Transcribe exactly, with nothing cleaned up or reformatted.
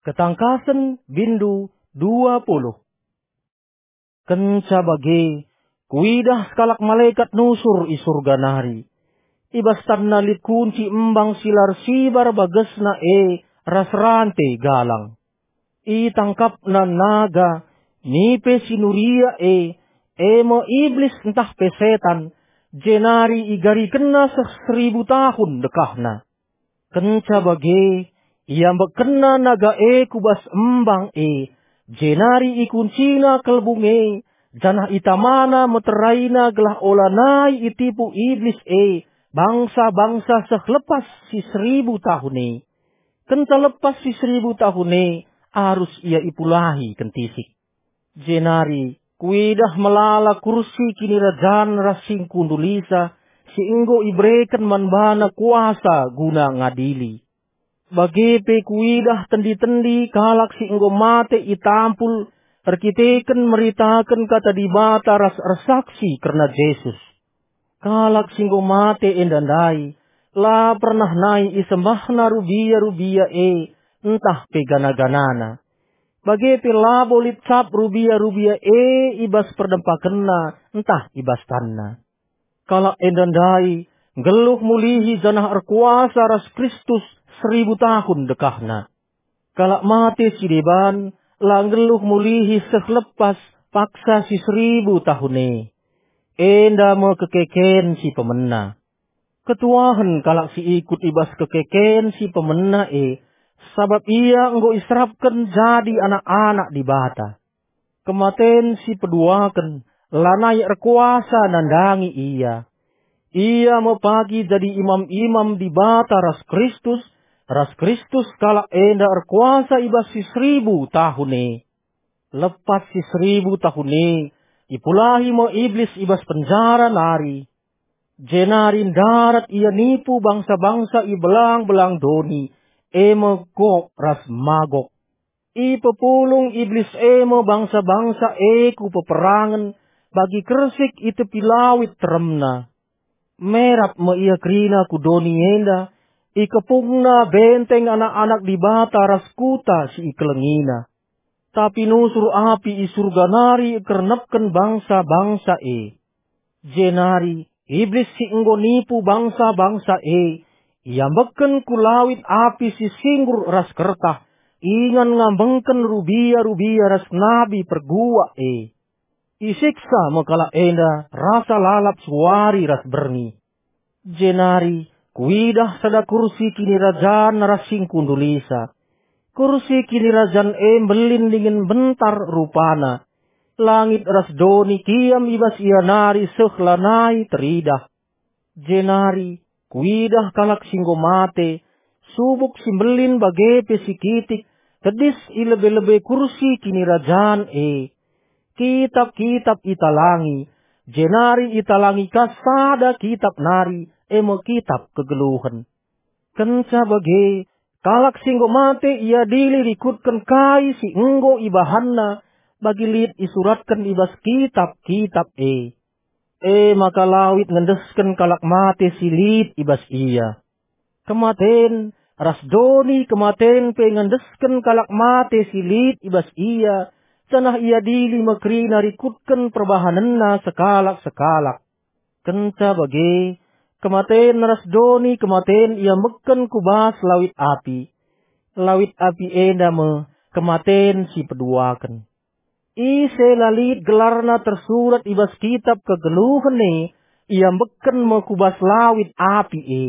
Ketangkasen, bindu dua puluh. Kenca bage, kuidah sekalak malekat nusur i Surga nari. I bas tanna lit kunci embang si la ersibar bagesna e ras rante galang. Itangkapna naga, nipe si nuria e, e me Iblis ntah pe Setan, jenari igarikenna seh seribu tahun dekahna. Kenca bage, iambekkenna naga e ku bas embang e, jenari ikuncina kelbung e, janah itamana meteraina gelah olanai itipu Iblis e bangsa-bangsa seh lepas si seribu tahun e. Kenca lepas si seribu tahun e, arus ia ipulahi kentisik. Jenari kuidah melala kursi kinirajan ras singkundulisa si enggo ibereken man bana kuasa guna ngadili. Bage pe kuidah tendi-tendi kalak si enggo mate itampul erkiteken meritaken kata Dibata ras ersaksi kerna Jesus. Kalak si enggo mate enda ndai, la pernah nai isembahna rubia-rubia e ntah pe gana-ganana. Bage pe labo lit cap rubia-rubia e i bas perdempakenna ntah i bas tanna. Kalak enda ndai nggeluh mulihi janah erkuasa ras Kristus seribu tahun dekahna. Kalak mate si deban la nggeluh mulihi seh lepas paksa si seribu tahun e. Enda me kekeken si pemena. Ketuahen kalak si ikut i bas kekeken si pemena e, sabap ia enggo iserapken jadi anak-anak Dibata. Kematen si peduaken lanai erkuasa nandangi ia. Ia me pagi jadi imam-imam Dibata ras Kristus, ras Kristus kalak enda erkuasa i bas si seribu tahun e. Lepas si seribu tahun e, ipulahi me Iblis i bas penjara nari. Jenari ndarat ia nipu bangsa-bangsa i belang-belang doni, e me Gog ras Magog. Ipepulung Iblis e me bangsa-bangsa e ku peperangen bagi kersik i tepi lawit teremna. Merap me ia kerina ku doni enda, ikepungna benteng anak-anak Dibata ras kuta si ikelengina. Tapi nusur api i Surga nari ikernepken bangsa-bangsa e. Jenari Iblis si enggo nipu bangsa-bangsa e, iambekken ku lawit api si singgur ras kertah, ingan ngambengken rubia-rubia ras nabi perguak e. Isiksa me kalak enda rasa lalap suari ras berngi. Jenari kuidah sada kursi kinirajan ras singkundulisa. Kursi kinirajan e mbelin dingen mbentar rupana. Langit ras doni kiam i bas ia nari seh lanai teridah. Jenari kuidah kalak si enggo mate, subuk si mbelin bage pe si kitik, tedis i lebe-lebe kursi kinirajan e. Kitap-kitap italangi, jenari italangi ka sada kitap nari, e me kitap kegeluhen. Kenca bage, kalak si enggo mate iadili rikutken kai si enggo ibahanna, bagi lit isuratken i bas kitap-kitap e. E maka lawit ngendesken kalak mate si lit i bas ia. Kematen ras doni kematen pe ngendesken kalak mate si lit i bas ia, janah iadili me kerina rikutken perbahanenna sekalak-sekalak. Kenca bage, kematen ras doni kematen iambekken ku bas lawit api. Lawit api enda me kematen si peduaken. Ise la lit gelarna tersurat i bas kitap kegeluhen e, iambekken me ku bas lawit api e.